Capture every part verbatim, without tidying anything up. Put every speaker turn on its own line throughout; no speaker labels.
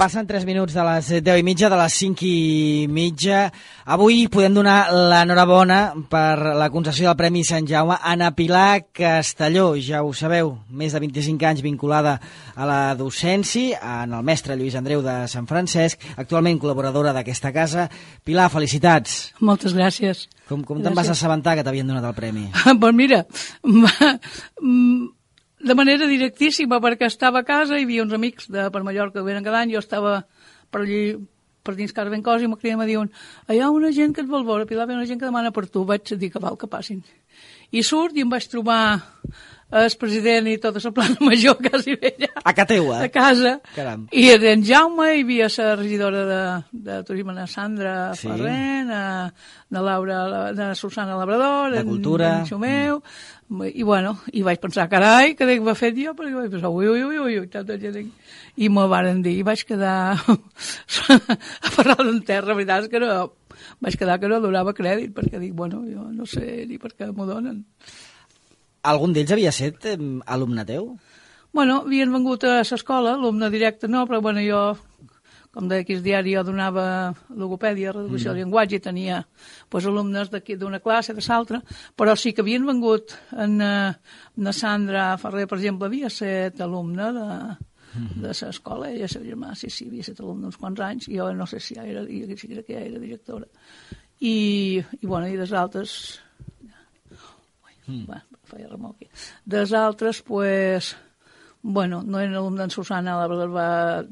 Passen tres minuts de les deu i mitja, de les cinc i mitja. Avui podem donar l'enhorabona per la concessió del Premi Sant Jaume a Anna Pilar Castelló. Ja ho sabeu, més de vint-i-cinc anys vinculada a la docència, en el mestre Lluís Andreu de Sant Francesc, actualment col·laboradora d'aquesta casa. Pilar, felicitats.
Moltes gràcies.
Com, com te'n vas assabentar que t'havien donat el premi?
Doncs mira, de manera directíssima, perquè estava a casa, hi havia uns amics de per Mallorca que venen cada any, jo estava per allí, per dins casa ben cosa, i me criden i me diuen, hi ha una gent que et vol veure, Pilar, hi ha una gent que demana per tu. Vaig dir que val que passin. I surt i em vaig trobar el president i tota la plana major quasi vella.
A casa teua?
A casa.
Caram.
I era en Jaume, hi havia la regidora de, de turisme, la Sandra
Sí.
Ferrer, na, na Laura, na Susana Labrador,
De
en,
Cultura.
en Xumeu, i bueno, i vaig pensar, carai, què dic, va fet jo? Perquè vaig pensar, ui, ui, ui, ui, ui, tanta gent. I m'ho varen dir, i vaig quedar aferrada en terra, la veritat és que no, vaig quedar que no donava crèdit, perquè dic, bueno, jo no sé ni per què m'ho donen.
Algun d'ells havia estat eh, alumne teu?
Bueno, havien vengut a l'escola, alumne directe no, però bueno, jo, com deia aquí el diari, jo donava logopèdia, reeducació mm. del llenguatge, i tenia pues, alumnes d'aquí d'una classe, de l'altra, però sí que havien vengut en, en Sandra Ferrer, per exemple, havia estat alumne de, mm. de l'escola, ella, la germà, sí, sí, havia estat alumne uns quants anys, i jo no sé si ja era, sí que ja era directora. I, i bueno, i des altres... Mm. Bueno, feia remor aquí. Des altres, pues, bueno, no eren alumne d'en Susana, la verdad, va,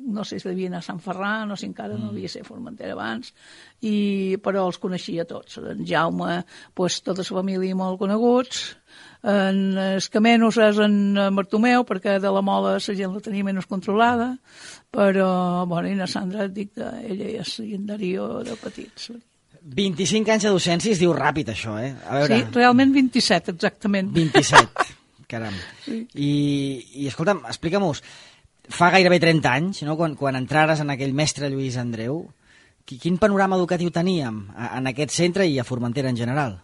no sé si devia anar a Sant Ferran, no sé, encara mm. no havia ser Formentera abans, i, però els coneixia tots. En Jaume, pues, tota la família molt coneguts, en Escamenos és en Bartomeu, perquè de la Mola la gent la tenia menys controlada, però, bueno, i na Sandra, et dic, ella és llegendario de petits.
vint-i-cinc anys de docència, es diu ràpid, això, eh? A veure...
Sí, realment vint-i-set, exactament.
vint-i-set, caram.
Sí.
I, i escolta'm, explica-mos, fa gairebé trenta anys, no?, quan, quan entrares en aquell mestre Lluís Andreu, quin panorama educatiu teníem en aquest centre i a Formentera en general?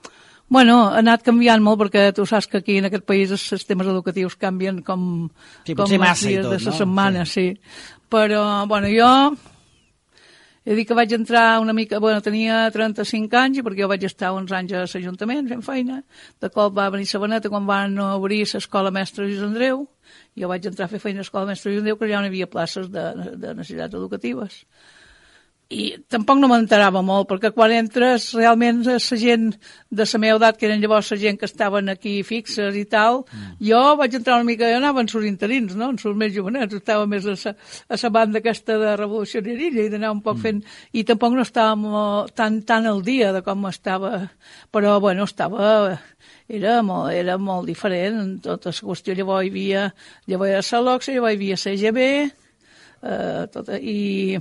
Bueno, ha anat canviant molt, perquè tu saps que aquí en aquest país els sistemes educatius canvien com,
sí,
com
els
dies
tot,
de la
no?
setmana, sí. sí. Però, bueno, jo... He dit que vaig entrar una mica... Bueno, tenia trenta-cinc anys, perquè jo vaig estar uns anys a l'Ajuntament fent feina. De cop va venir Sabaneta quan van obrir l'escola mestre Lluís Andreu. Jo vaig entrar a fer feina a l'escola mestre Lluís Andreu, que ja no hi havia places de, de necessitats educatives. I tampoc no m'enterava molt, perquè quan entres realment la gent de la meva edat, que eren llavors la gent que estaven aquí fixes i tal, mm. jo vaig entrar una mica, jo anava en sus interins, no? En sus més jovenets, estava més a sa, a sa banda aquesta de revolucionarilla i d'anar un poc mm. fent, i tampoc no estàvem tan, tan al dia de com estava, però bueno, estava... Era molt, era molt diferent en tota la qüestió. Llavors hi havia, llavors hi havia la LOCSA, llavors hi havia la G B, eh, tota, i...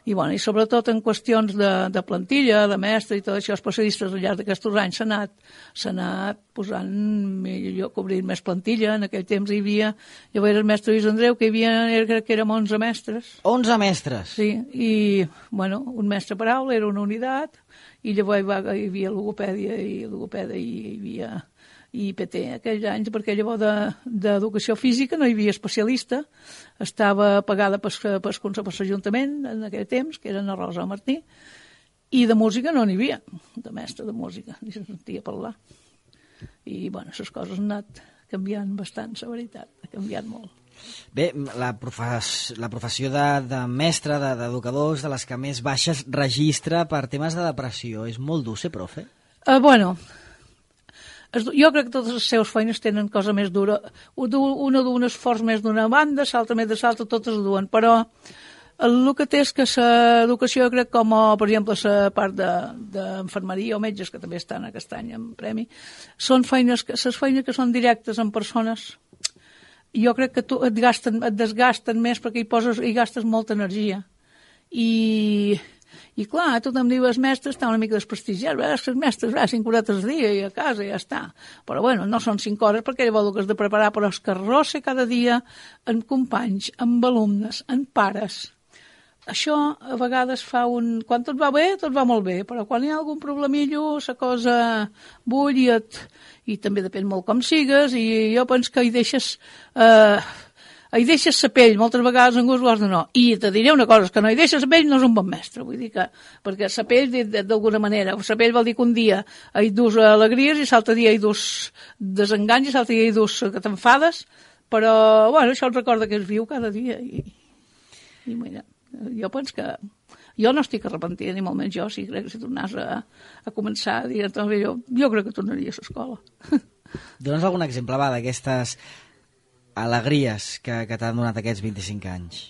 I, bueno, i sobretot en qüestions de, de plantilla, de mestre i tot això, especialistes al llarg d'aquests anys s'ha anat, s'ha anat posant, millor, cobrint més plantilla. En aquell temps hi havia, llavors era el mestre Lluís Andreu, que hi havia, crec que érem onze mestres.
onze mestres?
Sí, i, bueno, un mestre per aula era una unitat, i llavors hi, va, hi havia logopèdia i logopèdia i hi havia... i P T aquells anys, perquè llavors d'educació de, física no hi havia especialista, estava pagada per l'Ajuntament en aquell temps, que eren a Rosa Martí, i de música no n'hi havia, de mestre de música, ni se sentia parlar. I, bueno, les coses han anat canviant bastant, la veritat, ha canviat molt.
Bé, la, profes, la professió de, de mestre, d'educador, de, de les que més baixes registra per temes de depressió. És molt dur ser profe?
Uh, bueno... Jo crec que totes les seves feines tenen cosa més dura. Una du un esforç més d'una banda, l'altra més de l'altra, totes duen. Però el que té és que l'educació, crec, com, per exemple, la part d'enfermeria o metges, que també estan aquest any en premi, són feines, les feines que són directes en persones, jo crec que tu et, gasten, et desgasten més perquè hi, poses, hi gastes molta energia. I... I clar, tothom diu, els mestres estan una mica desprestigiats, els mestres, va, cinc horetes al dia i a casa i ja està. Però bueno, no són cinc hores perquè llavors el que has de preparar, però és que arrossa cada dia amb companys, amb alumnes, amb pares. Això a vegades fa un... Quan tot va bé, tot va molt bé, però quan hi ha algun problemillo, la cosa bull i, et... i també depèn molt com sigues, i jo penso que hi deixes... Eh... hi deixes la pell, moltes vegades en gust de no. I te diré una cosa, que no hi deixes la pell no és un bon mestre, vull dir que, perquè la pell, d'alguna manera, la pell vol dir que un dia hi dus alegries i l'altre dia hi dus desenganys i l'altre dia hi dus que t'enfades, però, bueno, això et recorda que es viu cada dia i, i mira, jo penso que jo no estic arrepentida, ni molt menys jo, si crec que si tornàs a, a començar a dir, jo, jo crec que tornaria a l'escola.
Dóna'ns algun exemple, va, d'aquestes alegries que, que t'han donat aquests vint-i-cinc anys?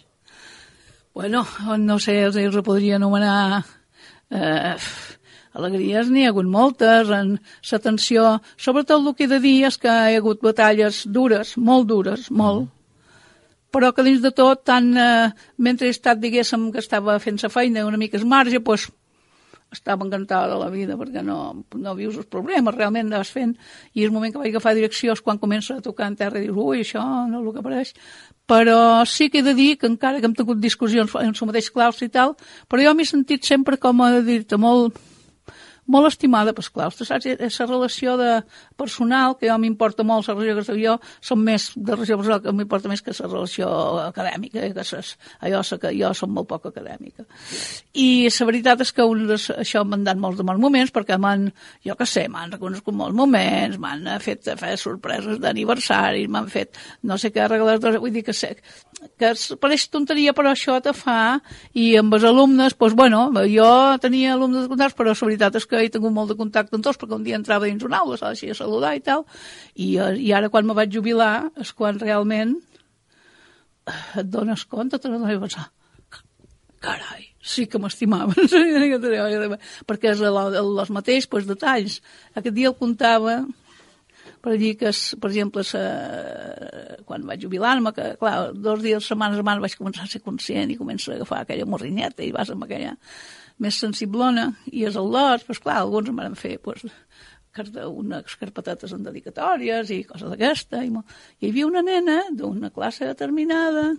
Bueno, no sé, els, els podria anomenar eh, alegries, n'hi ha hagut moltes, en l'atenció, sobretot el que he de dir és que hi ha hagut batalles dures, molt dures, molt, però que dins de tot, tant, eh, mentre he estat, diguéssim, que estava fent la feina una mica es marge, doncs estava encantada de la vida, perquè no, no vius els problemes, realment vas fent, i el moment que vaig agafar direcció és quan comença a tocar en terra i dius, ui, això no és el que apareix, però sí que he de dir que encara que hem tingut discussions en el mateix claustre i tal, però jo m'he sentit sempre, com a dir-te, molt... molt estimada pels claustres, saps? És la relació de personal, que jo m'importa molt, la relació que soc jo, som més de relació personal, que m'importa més que la relació acadèmica, eh? Que ses, allò que jo som molt poc acadèmica. I la veritat és que un, això m'han dat molts de bons moments, perquè m'han, jo què sé, m'han reconegut molts moments, m'han fet fer sorpreses d'aniversaris, m'han fet no sé què regalar, vull dir que sé, que pareix tonteria, però això te fa, i amb els alumnes, doncs, bueno, jo tenia alumnes de contactes, però la veritat és que he tingut molt de contacte amb tots, perquè un dia entrava dins una aula, s'ha de saludar i tal, i, i ara quan me vaig jubilar és quan realment et dones compte, te n'adones i pensar, carai, sí que m'estimaven, perquè és el, el, els mateixos pues, detalls. Aquest dia el comptava per dir que, per exemple, sa, quan vaig jubilar-me, que, clar, dos dies, setmanes abans vaig començar a ser conscient i començo a agafar aquella morrinyeta i vas amb aquella més sensiblona, i és el lot, doncs clar, alguns em van fer pues, unes carpetetes en dedicatòries i coses d'aquesta, i, i hi havia una nena d'una classe determinada,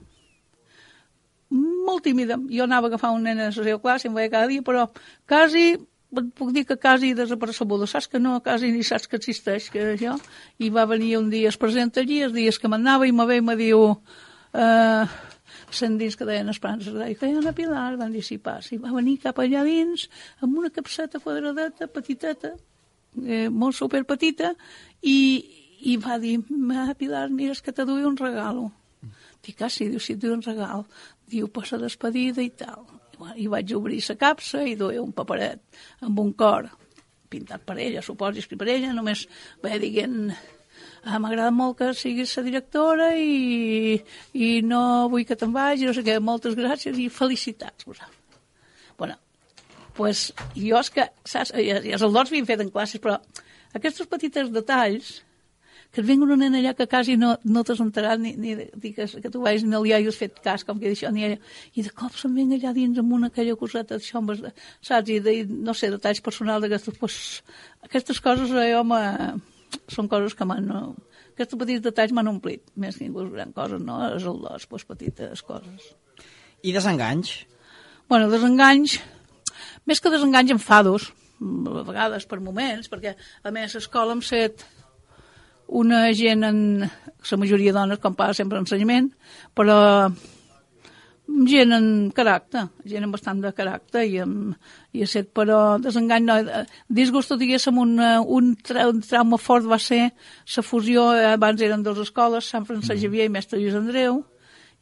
molt tímida. Jo anava a agafar una nena de la seva classe, em veia cada dia, però quasi, puc dir que quasi desapercebuda, saps que no, quasi ni saps que existeix, que això, i va venir un dia, es presenta allí, els dies que m'anava, i me ve i me diu... Eh, sent dins que deien Esperança, i que Anna Pilar van dissipar, i va venir cap allà dins amb una capseta quadradeta, petiteta, eh, molt superpetita, i, i va dir, Anna Pilar, mira, és que te duia un regalo. Dic, ah, sí, diu, sí, et duia un regal. Diu, pues la despedida i tal. I, bueno, i vaig obrir la capsa i duia un paperet amb un cor pintat per ella, suposo, escrit per ella, només va dient... Ah, m'agrada molt que siguis la directora i, i no vull que te'n vagi, no sé què, moltes gràcies i felicitats. Bueno, pues, jo és que, saps, els aldors havien fet en classes, però aquests petits detalls, que et vingui una nena allà que quasi no, no t'has enterat, ni, ni que, que tu vagis, ni li hagis fet cas, com que d'això, ni ella, i de cop se'n venga allà dins amb una aquella coseta d'això, saps, i de, no sé, detalls personals d'aquestes, pues, aquestes coses a jo m'ha... són coses que m'han... No, aquests petits detalls m'han omplit, més que inclús gran coses, no? És el dos, doncs, petites coses.
I desenganys?
Bueno, desenganys, més que desenganys, enfados, a vegades per moments, perquè a més a l'escola hem set una gent, en, la majoria dones, com passa sempre en ensenyament, però gent en caràcter, gent amb bastant de caràcter i, amb, i a set, però desengany no. Disgusto, diguéssim, un, un, tra un trauma fort va ser la fusió, abans eren dues escoles, Sant Francesc Xavier i Mestre Lluís Andreu,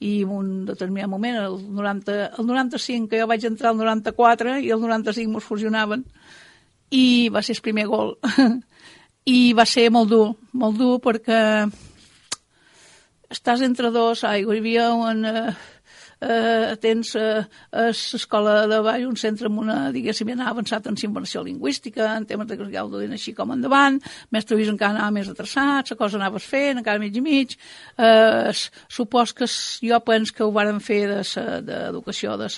i en un determinat moment, el, noranta, el noranta-cinc, que jo vaig entrar al noranta-quatre, i el noranta-cinc mos fusionaven, i va ser el primer gol. I va ser molt dur, molt dur, perquè estàs entre dos aigües, hi havia un... Uh, Uh, tens uh, a l'escola de Vall un centre amb una, diguéssim, anava avançat en immersió lingüística, en temes de que ja ho duien així com endavant, Mestre Lluís encara anava més atrasat, la cosa anaves fent, encara mig i mig, uh, supos que jo penso que ho varen fer d'educació, de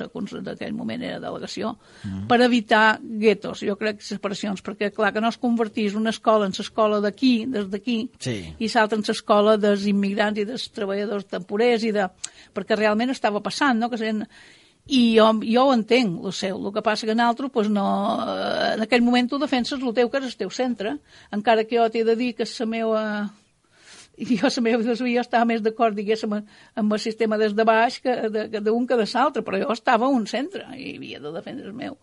d'aquell moment era delegació, mm. per evitar guetos, jo crec que separacions, perquè clar, que no es convertís una escola en l'escola d'aquí, des d'aquí,
sí.
i l'altra en l'escola dels immigrants i dels treballadors temporers, i de... perquè realment estava passant, no? Que sent... I jo, jo ho entenc, el seu. El que passa que en altre, pues no... en aquell moment tu defenses el teu, que és el teu centre, encara que jo t'he de dir que és la meva... i jo, la meva filosofia, jo estava més d'acord, diguéssim, amb el sistema des de baix que d'un que, de que de l'altre, però jo estava a un centre i havia de defendre el meu.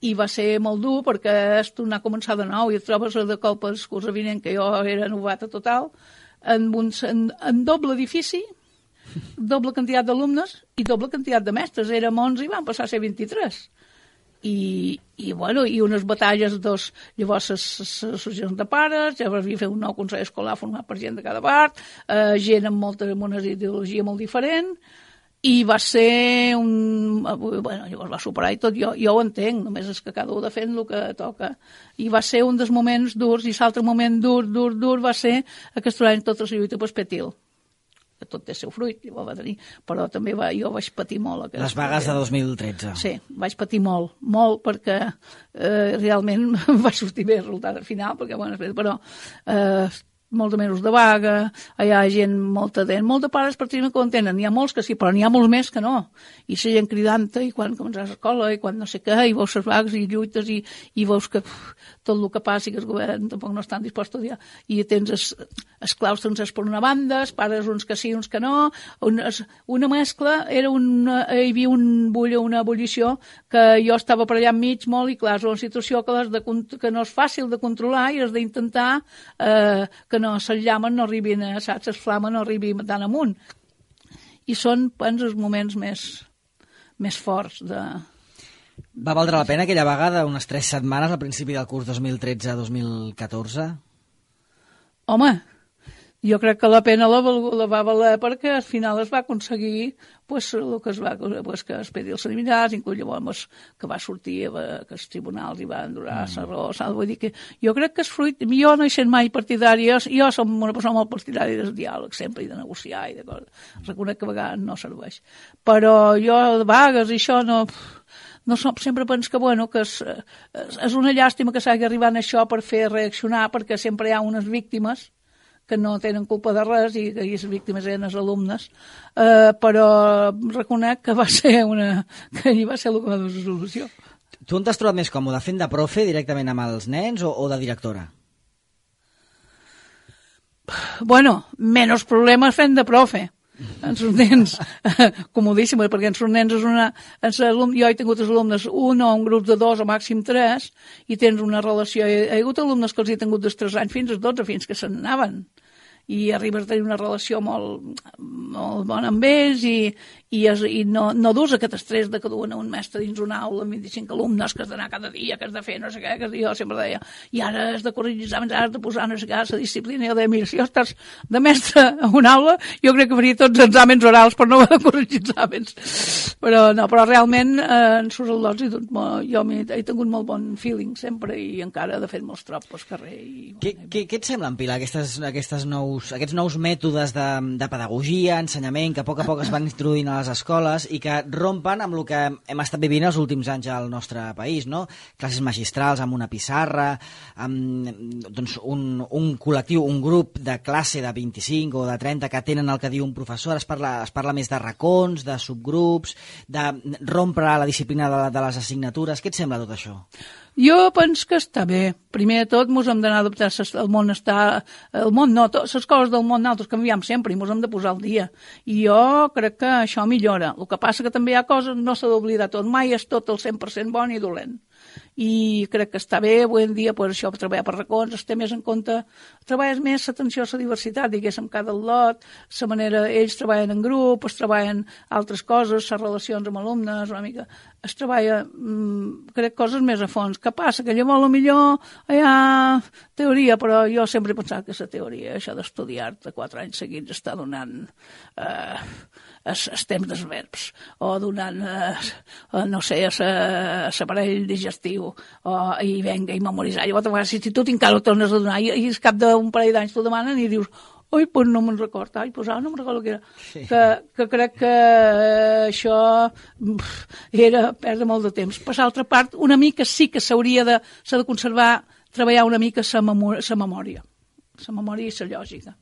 I va ser molt dur perquè és tornar a començar de nou i et trobes de cop el curs vinent, que jo era novata total, en, un, en, en doble edifici, doble quantitat d'alumnes i doble quantitat de mestres. Érem onze i van passar a ser vint-i-tres. I, i, bueno, i unes batalles dos, llavors les associacions de pares, llavors havia fet un nou consell escolar format per gent de cada part, eh, gent amb, molta, amb una ideologia molt diferent, i va ser un... Bueno, llavors va superar i tot, jo, jo ho entenc, només és que cada un defèn el que toca. I va ser un dels moments durs, i l'altre moment dur, dur, dur va ser aquest any tota la lluita per Petil. Que tot té el seu fruit, llavors va tenir, però també va, jo vaig patir molt.
Les vagues de dos mil tretze.
Sí, vaig patir molt, molt, perquè eh, realment va sortir bé el resultat al final, perquè, bueno, però eh, molt de mesos de vaga, hi ha gent, molta dent, molts de pares pràcticament que ho entenen, n'hi ha molts que sí, però n'hi ha molts més que no, i la gent cridant-te, i quan començaràs a l'escola, i quan no sé què, i veus les vagues, i lluites, i, i veus que uf, tot el que passi, que el govern tampoc no estan disposats a dir, i tens els, els claustres per una banda, els pares uns que sí, uns que no, una, una mescla, era una, hi havia un bull, una ebullició, que jo estava per allà enmig molt, i clar, és una situació que, de, que no és fàcil de controlar, i has d'intentar eh, que no les llames no arribin, a, saps, les flames no arribin tan amunt. I són, doncs, els moments més, més forts de...
Va valdre la pena aquella vaga d'unes tres setmanes al principi del curs dos mil tretze dos mil catorze?
Home, jo crec que la pena la, la va valer perquè al final es va aconseguir pues, el que es va, pues, que es pedi els eliminats, inclús llavors que va sortir, que els tribunals hi van durar la mm. raó, saps? Vull dir que jo crec que és fruit, jo no he sent mai partidària, jo som una persona molt partidària del diàleg sempre i de negociar i de coses, reconec que a vegades no serveix, però jo de vagues i això no... No som, sempre penso que, bueno, que és, és una llàstima que s'hagi arribat a això per fer reaccionar, perquè sempre hi ha unes víctimes que no tenen culpa de res i que les víctimes eren els alumnes, eh, però reconec que va ser una... que allí va ser el que va donar la solució.
Tu on t'has trobat més còmode, fent de profe directament amb els nens o, o de directora?
Bueno, menys problemes fent de profe. En els nens, comodíssim, perquè en els nens és una... Alumnes, jo he tingut els alumnes un o un grup de dos o màxim tres i tens una relació... He, he hagut alumnes que els he tingut dels tres anys fins als dotze, fins que se'n anaven. I arribes a tenir una relació molt, molt bona amb ells i, i, es, i no, no dus aquest estrès de que duen un mestre dins una aula amb vint-i-cinc alumnes, que has d'anar cada dia, que has de fer no sé què, que jo sempre deia, i ara has de corregir exàmens, ara has de posar no sé què, la disciplina, i jo deia, mira, si jo estàs de mestre a una aula, jo crec que faria tots els exàmens orals per no haver de corregir exàmens. Però no, però realment eh, en sus al·lots jo he tingut molt bon feeling sempre i encara de fet molts trops pel carrer. I,
què,
bueno,
què, què et semblen, Pilar, aquestes, aquestes nous, aquests nous mètodes de, de pedagogia, ensenyament, que a poc a poc es van introduint a les escoles i que rompen amb el que hem estat vivint els últims anys al nostre país, no? Classes magistrals amb una pissarra, amb doncs, un, un col·lectiu, un grup de classe de vint-i-cinc o de trenta que tenen el que diu un professor, es parla, es parla més de racons, de subgrups, de rompre la disciplina de, de les assignatures. Què et sembla tot això?
Jo penso que està bé. Primer de tot, ens hem d'anar a adaptar. El món està... El món no, les coses del món nosaltres canviem sempre i ens hem de posar al dia. I jo crec que això millora. El que passa que també hi ha coses, no s'ha d'oblidar tot. Mai és tot el cent per cent bon i dolent. I crec que està bé, avui en dia, pues, això, treballar per racons, es té més en compte, treballes més l'atenció a la diversitat, diguéssim, cada lot, la manera, ells treballen en grup, es treballen altres coses, les relacions amb alumnes, una mica, es treballa, mmm, crec, coses més a fons. Què passa? Que llavors, millor hi ha teoria, però jo sempre he pensat que la teoria, això d'estudiar-te quatre anys seguits, està donant... Eh, els temps dels verbs, o donant, eh, no sé, l'aparell digestiu, o, i venga, i memoritzar. Llavors, a vegades, si tu encara ho tornes a donar, i, i al cap d'un parell d'anys t'ho demanen i dius, oi, pues no me'n record, ai, pues ara no me'n recordo què era. Sí. Que, que crec que eh, això era perdre molt de temps. Per l'altra part, una mica sí que s'hauria de, s'ha de conservar, treballar una mica la memòria, la memòria i la lògica.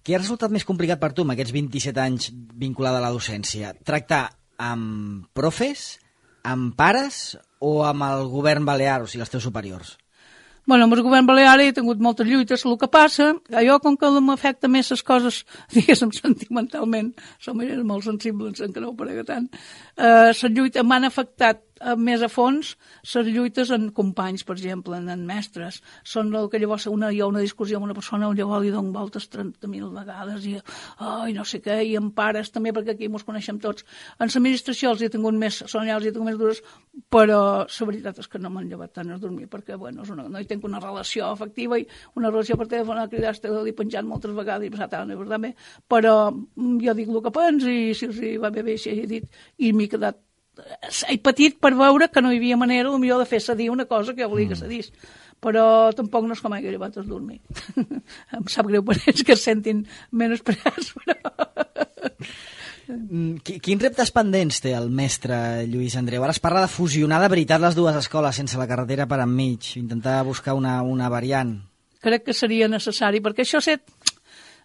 Què ha resultat més complicat per tu amb aquests vint-i-set anys vinculada a la docència? Tractar amb profes, amb pares o amb el govern balear, o sigui, els teus superiors?
Bueno, amb el govern balear he tingut moltes lluites, el que passa, jo com que m'afecta més les coses, diguéssim, sentimentalment, som molt sensibles, que no ho parega tant, eh, les lluites m'han afectat més a fons les lluites en companys, per exemple, en, en mestres. Són el que llavors una, hi ha una discussió amb una persona, llavors li dono voltes trenta mil vegades i ai, no sé què, i en pares també, perquè aquí ens coneixem tots. En l'administració els he tingut més, són allà els he tingut més dures, però la veritat és que no m'han llevat tant a dormir, perquè bueno, és una, no hi tinc una relació afectiva i una relació per telèfon, a cridar, estic penjant moltes vegades i passat, no és bé, però jo dic el que pens i si els va bé bé, si he dit, i m'he quedat he patit per veure que no hi havia manera potser de fer cedir una cosa que jo volia que cedís, però tampoc no és com hagi llevat a dormir. Em sap greu per ells que es sentin menyspreats, però...
Quins reptes pendents té el mestre Lluís Andreu? Ara es parla de fusionar de veritat les dues escoles sense la carretera per enmig, intentar buscar una, una variant.
Crec que seria necessari, perquè això set...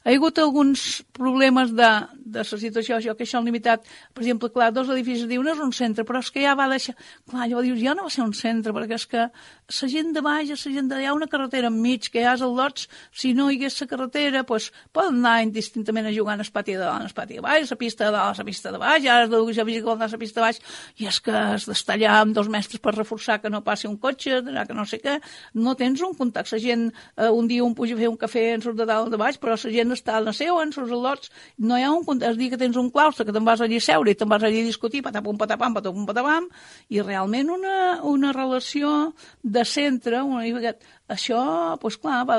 Hi ha hagut alguns problemes de, de la situació, això, que això han limitat. Per exemple, clar, dos edificis diuen no és un centre, però és que ja va deixar... Clar, llavors dius, ja no va ser un centre, perquè és que la gent de baix, la gent de... Hi ha una carretera enmig, que ja és el lots, si no hi hagués la carretera, doncs poden anar indistintament a jugar en el pati de dalt, en el pati de baix, la pista de dalt, la pista de baix, ara es ja visita la pista de baix, i és que has d'estar allà amb dos mestres per reforçar que no passi un cotxe, que no sé què, no tens un contacte. La gent, eh, un dia un puja a fer un cafè, en surt de dalt de baix, però la gent està a la seu, en els lots, no hi ha un contacte. Es diu que tens un claustre, que te'n vas allí a seure i te'n vas allí a discutir, patapum, patapam, patapum, patapam, i realment una, una relació de centre, una, això, doncs clar, va,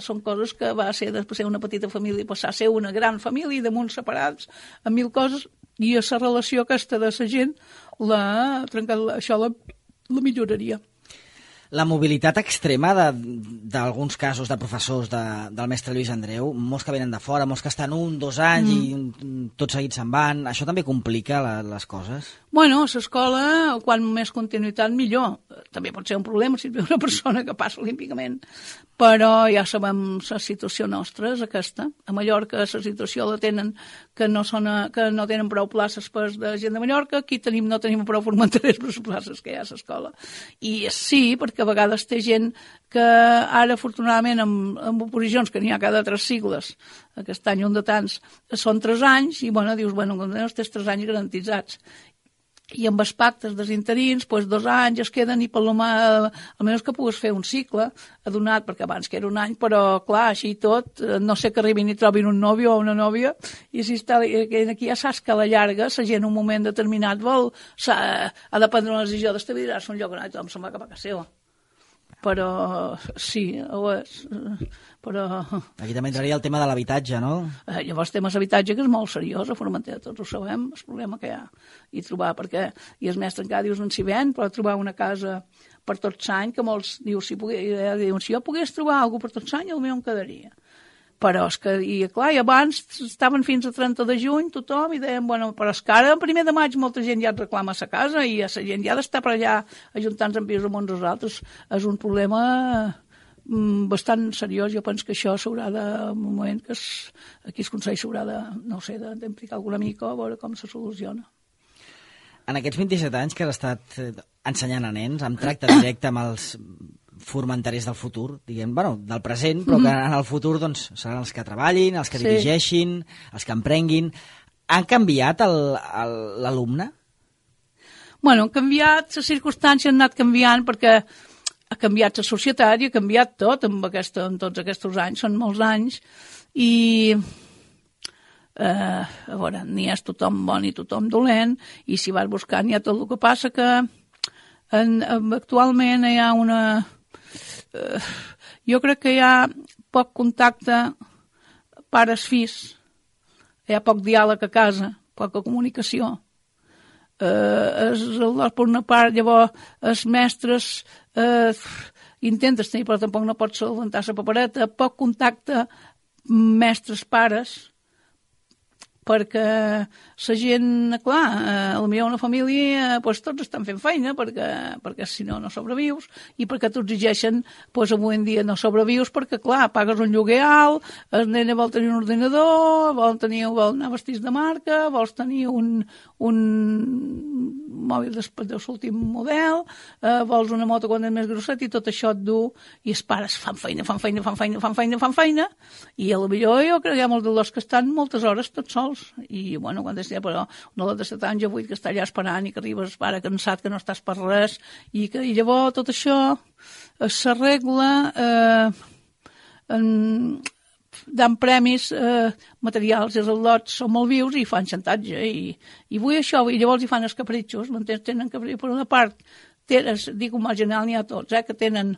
són coses que va ser després ser una petita família i passar a ser una gran família, damunt separats, amb mil coses, i la relació aquesta de la gent, la, això la, la milloraria.
La mobilitat extrema d'alguns casos de professors de, del mestre Lluís Andreu, molts que venen de fora, molts que estan un, dos anys mm. i tots seguits se'n van, això també complica la, les coses?
Bueno, a l'escola, quan més continuïtat, millor. També pot ser un problema si hi ha una persona que passa olímpicament, però ja sabem la situació nostra és aquesta. A Mallorca la situació la tenen que no, són a, que no tenen prou places per de gent de Mallorca, aquí tenim, no tenim prou formentarers per les places que hi ha a l'escola. I sí, perquè a vegades té gent que ara, afortunadament, amb, amb oposicions, que n'hi ha cada tres sigles, aquest any un de tants, són tres anys, i bueno, dius, bueno, els tens tres anys garantitzats. I amb els pactes dels interins, doncs dos anys es queden i per lo mà, almenys que pugues fer un cicle adonat, perquè abans que era un any, però clar, així tot, no sé que arribin i trobin un nòvio o una nòvia, i si està, aquí ja saps que a la llarga la gent en un moment determinat vol, ha de prendre una decisió d'estabilitzar-se un lloc on tothom se'n va cap a casa seva. Però sí, ho és, però...
Aquí també entraria el tema de l'habitatge, no?
Eh, llavors temes d'habitatge, que és molt seriós, a Formentera, tots ho sabem, el problema que hi ha, i trobar, perquè, i el mestre encara dius, no s'hi ven, però trobar una casa per tot l'any, que molts dius, si, pogués, diuen, si jo pogués trobar alguna per tot l'any, potser em quedaria. Però és que, i clar, i abans estaven fins a trenta de juny tothom i deien, bueno, però és que ara en primer de maig molta gent ja et reclama a sa casa i a la gent ja ha d'estar per allà ajuntant-se en pisos amb uns als altres. És un problema mm, bastant seriós. Jo penso que això s'haurà de, en un moment que es, aquí el Consell s'haurà de, no sé, d'implicar alguna mica a veure com se soluciona.
En aquests vint-i-set anys que has estat ensenyant a nens, amb tracte directe amb els formentarers del futur, diguem, bueno, del present, però que en el futur doncs, seran els que treballin, els que sí. dirigeixin, els que emprenguin. Han canviat l'alumne?
Bueno, han canviat, les circumstàncies han anat canviant perquè ha canviat la societat i ha canviat tot amb aquesta, en tots aquests anys, són molts anys, i eh, a veure, n'hi és tothom bon i tothom dolent, i si vas buscant hi ha tot el que passa que en, actualment hi ha una... Uh, jo crec que hi ha poc contacte pares-fills, hi ha poc diàleg a casa, poca comunicació. Uh, es, per una part, llavors, els mestres uh, intentes tenir, però tampoc no pots solventar la papereta, poc contacte mestres-pares, perquè la gent, clar, eh, potser una família, doncs tots estan fent feina, perquè, perquè si no, no sobrevius, i perquè t'ho exigeixen, doncs avui en dia no sobrevius, perquè, clar, pagues un lloguer alt, el nene vol tenir un ordinador, vol, tenir, vol anar vestits de marca, vols tenir un, un mòbil de, de l'últim model, eh, vols una moto quan és més grosset i tot això et du, i els pares fan feina, fan feina, fan feina, fan feina, fan feina, i a lo millor jo crec que hi ha molts dels que estan moltes hores tots sols, i bueno, quan és però una de set anys o vuit que està allà esperant i que arribes pare cansat, que no estàs per res, i que i llavors tot això s'arregla eh, en dan premis eh, materials, els al·lots són molt vius i fan xantatge i, i vull això, i llavors hi fan els capritxos, m'entens? Tenen capritxos, per una part tenen, dic un mal general n'hi ha tots, eh, que tenen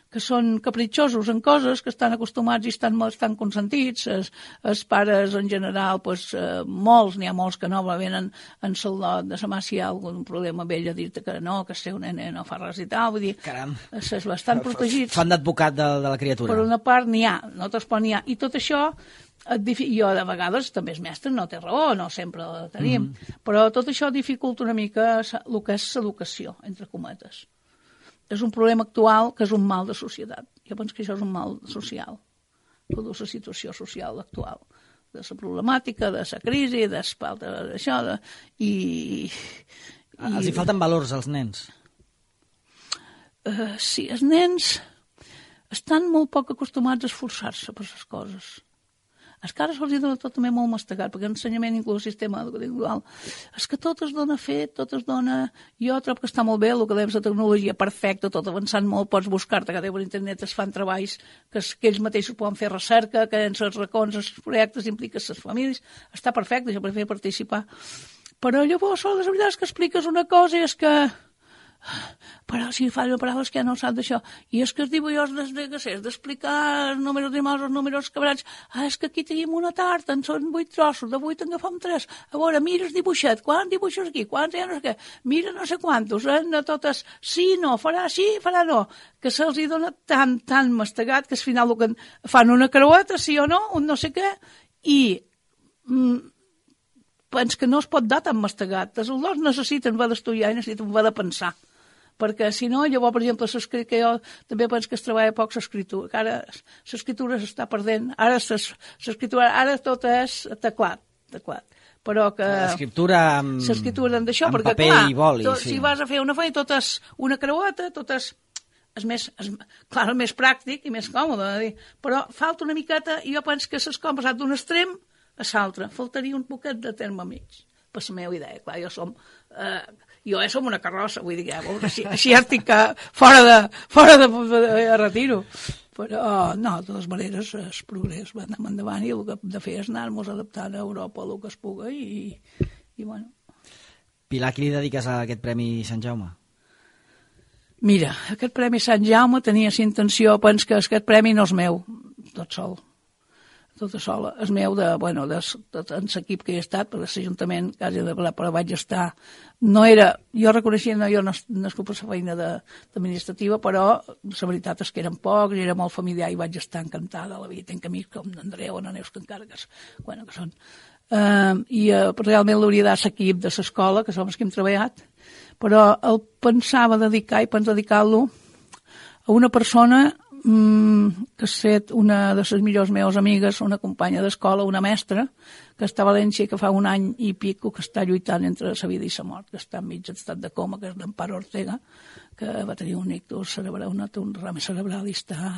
que són capritxosos en coses que estan acostumats i estan, estan consentits. Els, els pares, en general, pues, eh, molts, n'hi ha molts que no venen en sol·lot de sa mà si hi ha algun problema amb ell a dir-te que no, que el seu nene no fa res i tal. Vull dir,
caram,
és bastant protegits.
Fan d'advocat de, de la criatura.
Per una part n'hi ha, no tots, però n'hi ha. I tot això, jo de vegades també és mestre, no té raó, no sempre la tenim, mm. però tot això dificulta una mica el que és l'educació, entre cometes. És un problema actual que és un mal de societat. Jo penso que això és un mal social, de la situació social actual, de la problemàtica, de la crisi, d'això, de, i, i...
Els hi falten valors als nens?
Uh, sí, els nens estan molt poc acostumats a esforçar-se per les coses. Els que ara se'ls dona tot també molt mastegat, perquè l'ensenyament, inclús el sistema educatiu individual, és que tot es dona fet, tot es dona... Jo trobo que està molt bé, el que dèiem, la tecnologia perfecta, tot avançant molt, pots buscar-te, que per internet es fan treballs que, es, que ells mateixos poden fer recerca, que en els racons, els projectes, impliquen les famílies, està perfecte, jo prefer participar. Però llavors, la veritat és que expliques una cosa i és que... però si fa una paraula és que ja no sap d'això i és que els dibuixos des de que és d'explicar els números dimals, els números quebrats ah, és que aquí tenim una tarta, en són vuit trossos de vuit en agafem tres, a veure, mira el dibuixet, quants dibuixos aquí, quants ja no sé què mira no sé quantos, eh, no totes sí, no, farà sí, farà no que se'ls hi dona tan, tan mastegat que al final que fan una creueta, sí o no un no sé què, i mm, penso que no es pot dar tan mastegat els dos necessiten haver d'estudiar i necessiten haver de pensar perquè si no, llavors, per exemple, que jo també penso que es treballa poc l'escriptura, que ara l'escriptura s'està perdent, ara l'escriptura, ara tot és teclat, teclat, però que...
L'escriptura amb,
l'escriptura d'això,
amb
perquè,
paper
clar,
i boli,
tot,
sí.
Si vas a fer una feina, tot és una creueta, tot és... és més, és, clar, més pràctic i més còmode, dir. Però falta una miqueta, i jo penso que s'ha passat d'un extrem a l'altre, faltaria un poquet de terme mig, per la meva idea, clar, jo som... Eh, jo ja som una carrossa, vull dir, ja, així, així ja estic fora de, fora de, de, de retiro. Però, no, de totes maneres, el progrés va anar endavant i el que hem de fer és anar-nos adaptant a Europa el que es puga i, i bueno.
Pilar, qui li dediques a aquest Premi Sant Jaume?
Mira, aquest Premi Sant Jaume tenia la intenció, penso que aquest premi no és meu, tot sol. tota sola. És meu de, bueno, de, de, de l'equip que he estat, per l'Ajuntament, quasi de ple, però vaig estar... No era... Jo reconeixia, no, jo no, no és culpa la feina de, administrativa, però la veritat és que eren pocs, i era molt familiar i vaig estar encantada a la vida. Tenc amics com l'Andreu o la Neus, que encara que, bueno, que són... Uh, I uh, realment l'hauria de dar l'equip de l'escola, que som els que hem treballat, però el pensava dedicar i penso dedicar-lo a una persona que ha estat una de les millors meves amigues, una companya d'escola, una mestra, que està a València, que fa un any i pico que està lluitant entre la vida i la mort, que està enmig d'estat de coma, que és l'Emparo Ortega, que va tenir un ictus cerebral, un, un rame cerebral i està...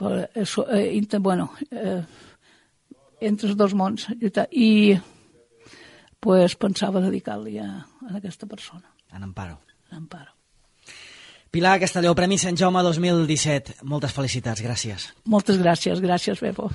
Però, eh, bueno, eh, entre els dos mons. I pues, pensava dedicar-li a, a aquesta persona.
En Emparo.
En Emparo.
Pilar Castelló, Premi Sant Jaume dos mil disset. Moltes felicitats, gràcies.
Moltes gràcies, gràcies, Pepo.